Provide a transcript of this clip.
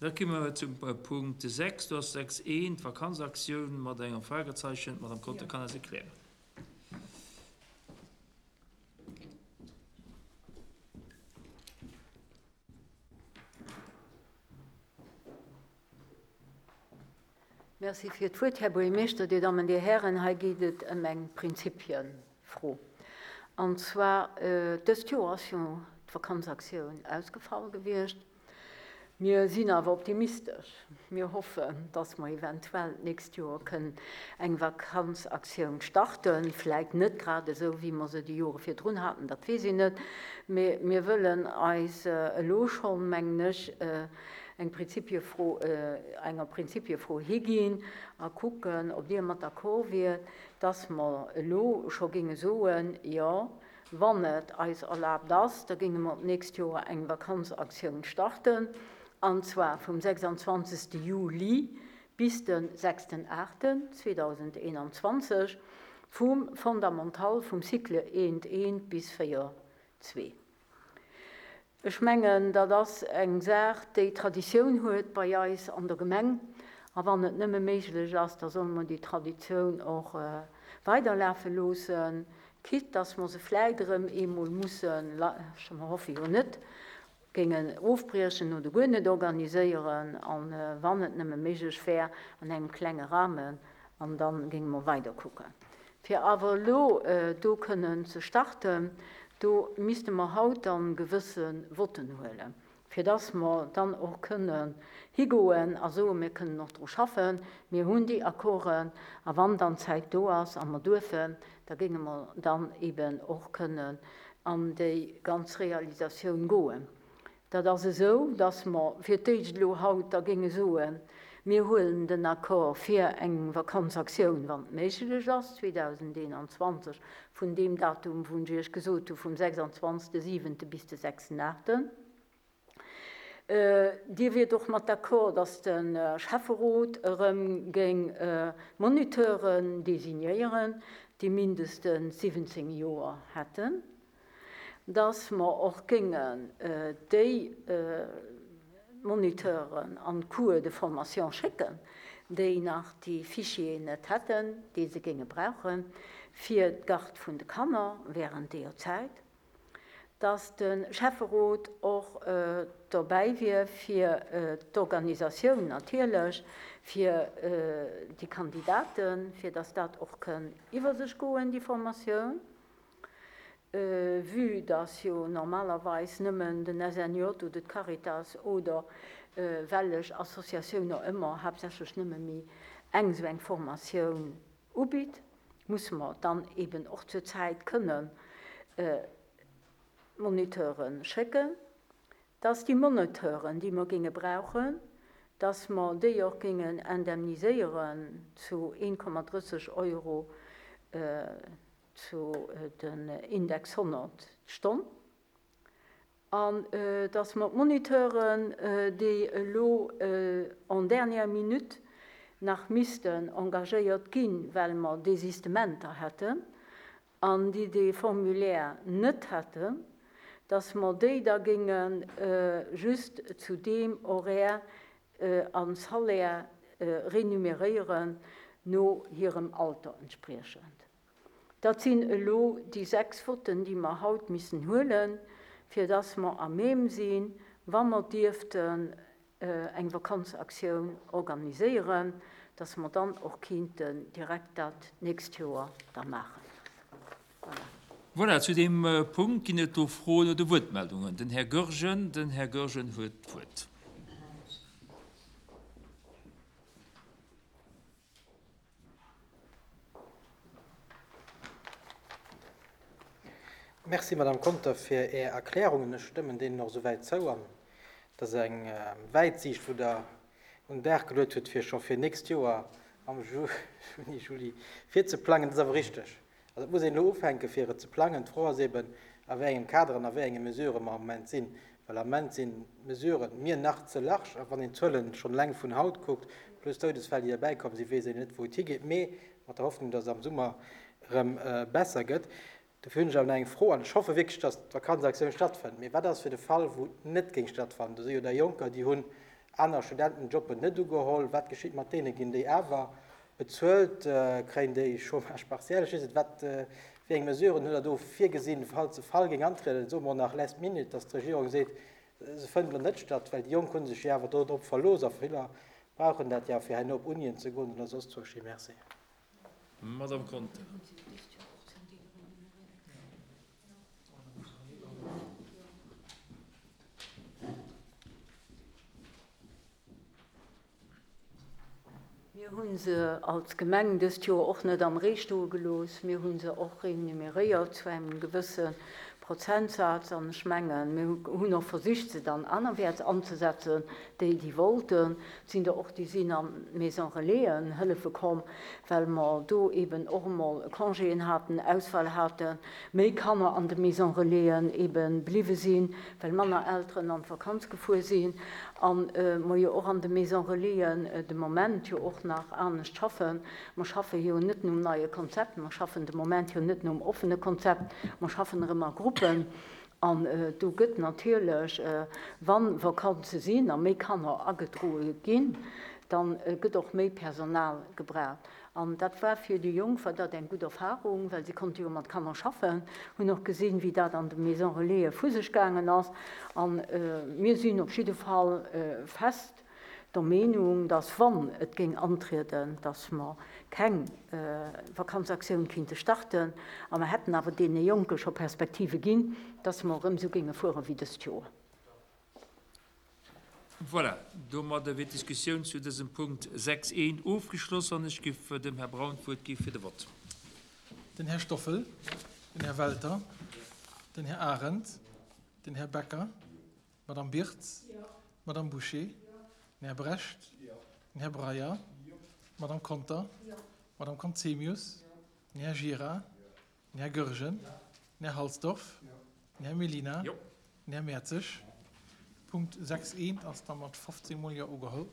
Da komme mer zum Punkt 6. Do ass 6 I, d'Vakanzaktioun mat engem Fragezeichen. D'Madame Conter kann eis erklären. Merci fir d'Wuert, Här Buergermeeschter, Dir Dammen, Dir Hären. Hei geet et ëm eng Prinzipienfro. An zwar, dëst Joer ass jo d'Vakanzaktioun ausgefall gewiescht. Mir sinn awer optimistesch. Mir hoffen, dass mer eventuell d'nächst Joer kënnen eng Vakanzaktioun starten. Vläit net grad esou, wéi mer se déi Jore virdrun haten, dat weess een net. Mee mir wëllen eis elo schonn, mengen ech, eng Prinzipiefro, enger Prinzipiefro higinn a kucken, ob Dir mat d'accord wiert, dass mer elo scho géinge soen, Jo, Wann et eis erlaabt ass, da géinge mer d'nächst Joer eng Vakanzaktioun starten, an zwar vum 26 Juli bis de 6 8 2021, vum Fondamental vum Cycle 1 1 bis 4 2. Ech mengen, dat ass eng Saach, déi Traditioun huet bei eis an der Gemeng. A wann et nëmme méiglech ass, da solle mer déi Traditioun och weiderlafe loossen, quitte dass mer se vläicht erëm eemol mussen, mer hoffe jo net, géingen ofbriechen oder guer net organiséieren, a wann et nëmme méiglech wär, an engem klenge Rahmen, an da géinge mer weiderkucken. Fir awer elo do kënnen ze starten, do misste mer haut dann gewësse Votten huelen, fir dass mer dann och kënnen higoen a soen, mir kënnen och dru schaffen, mir hunn déi Accorden, a wann dann d'Zäit do ass a mer duerfen, da géinge mer dann eben och kënnen an déi ganz Realisatioun goen. Dat ass esou, dass mer fir d'éischt elo haut da géinge soen, mir huelen den Accord fir eng Vakanzaktioun, wann et méiglech ass, 2021, vun deem Datum, wou ech Iech gesot hu vum 26 siwente bis de 6 aachten. Dir wiert och mat d'accord, dass de Schäfferot erëm géing Moniteuren designéieren, déi mindestens 17 Joer hätten. dass mer och géingen déi Moniteuren an d'Cours de formation schécken, déi nach déi Fichieren net hätten, déi se géinge brauche fir d'Garde vun de Kanner während deeër Zäit, dass de Schäfferot och dobäi wier fir d'Organisatioun natierlech, fir déi Kandidaten, fir dass dat och kënn iwwer sech goen, déi Formatioun. Vue dass jo normalerweis nëmmen den SNJ oder d'Caritas oder wellech Associatioun och ëmmer, haaptsächlech nëmme méi eng esou eng Formatioun ubitt, musse mer dann eben och zur Zäit kënnen Moniteure schécken, dass déi Moniteuren, déi mer géinge brauchen, dass mer déi och géingen indemniséieren zu 1,30 Euro zu den Index 100 d'Stonn, an dass mer d'Moniteuren, déi elo en dernière minute nach missten engagéiert ginn, well mer Désistementer hätten, an déi dee Formulaire net hätten, dass mer déi da géinge just zu deem Horaire a Salaire renumeréieren no hirem Alter entspriechend. Dat sinn elo déi 6 Votten, déi mer haut missen huelen, fir dass mer à même sinn, wa mer dierften eng Vakanzaktioun organiséieren, dass mer dann och kinnten direkt dat d'nächst Joer da maachen. Voilà. Voilà, zu deem Punkt ginn et do Froen oder Wuertmeldungen. Den Här Goergen, den Här Goergen huet d'Wuert. Merci, Madame Conter, fir Är Erklärungen. Ech stëmmen deenen och esouwäit zou. An et ass eng Wäitsiicht, wou Der un den Dag geluet hutt, fir scho fir nächst Joer am Juni, Juli virzeplangen. Dat ass awer richteg. Also et muss een elo ufänken, fir et ze plangen. D'Fro ass eben, a wéi engem Kader an a wéi enge Mesurë mer am Moment sinn. Well am Moment sinn d'Mesuren mir nach ze large. A wann een d'Zuelen schonn eleng vun haut kuckt, plus d'Doudesfäll, déi derbäikomm sinn, weess een net, wou et higeet. Mee mat der Hoffnung, dass et am Summer erëm besser gëtt. Dofir hunn ech awer nach eng Fro, an ech hoffe wierklech, dass d'Vakanzaktioun stattfënnt. Mee wat ass fir de Fall, wou et net géing stattfannen? Do si jo der Jonker, déi hunn. aner Studentenjobben net ugeholl. Wat geschitt mat deenen? Ginn déi awer bezuelt? Kréien déi Chômage partiel? Ech weess net, wat, wéi eng Mesuren hutt Der do virgesinn, falls de Fall géing antrieden, soe mer nach last minute, dass d'Regierung seet, se fënnt elo net statt, well déi Jonk hu sech jo awer do drop verlooss a viller brauchen dat jo fir herno op Unien ze goen oder soss zwousch. Merci. Madame Conter. Mir hu se als Gemeng dëst Joer och net am Ree stoe gelooss. Mir hu se och remuneréiert zu engem gewësse Prozentsaz. An ech mengen, mir hunn och versicht, se dann anerwäerts anzesetzen, déi, déi wollten. Et sinn der och, déi sinn an d'Maison Relaisen hëllefe komm, well mer do eeben och emol Congéen haten, Ausfall haten, méi Kanner an de Maison Relaisen eebe bliwwe sinn, well manner Elteren an d'Vakanz gefuer sinn a mer jo och an de Maison Relaisen de Moment jo och nach anescht schaffen. Mer schaffe jo net nom neie Konzept, mer schaffen de Moment jo net nom offene Konzept, mer schaffen erëm a Gruppen. An do gëtt natierlech, wa Vakanze sinn a méi Kanner agedroe ginn, da gëtt och méi Personal gebraucht. An dat war fir déi Jonk war dat eng gutt Erfahrung, well si konnte jo mat Kanner schaffen, hunn och gesinn, wéi dat an de Maison Relaisen vu sech gaangen ass. A mir sinn op jidde Fall fest der Meenung, dass, wann et géing antrieden, dass mer keng Vakanzaktioun kinnte starten, a mer hätten awer deene Jonke scho Perspektive ginn, dass mer erëm esou géinge fuere wéi dëst Joer. Voilà, domadder wier d'Diskussioun zu dësem Punkt 6 I ofgeschloss an ech giff dem Här Braun d'Wuert gi fir de Vott. Den Här Stoffel, den Här Welter, den Här Arendt, den Här Becker, d'Madame Birtz, d'Madame Bouché, den Här Brecht, den Här Breyer, d'Madame Conter, d'Madame Conzemius, den Här Gira, Den Här Goergen, den Här Halsdorf, den Här Mellina, den Här Mertzig. Punkt 6 I ass da mat 15 mol Jo ugeholl.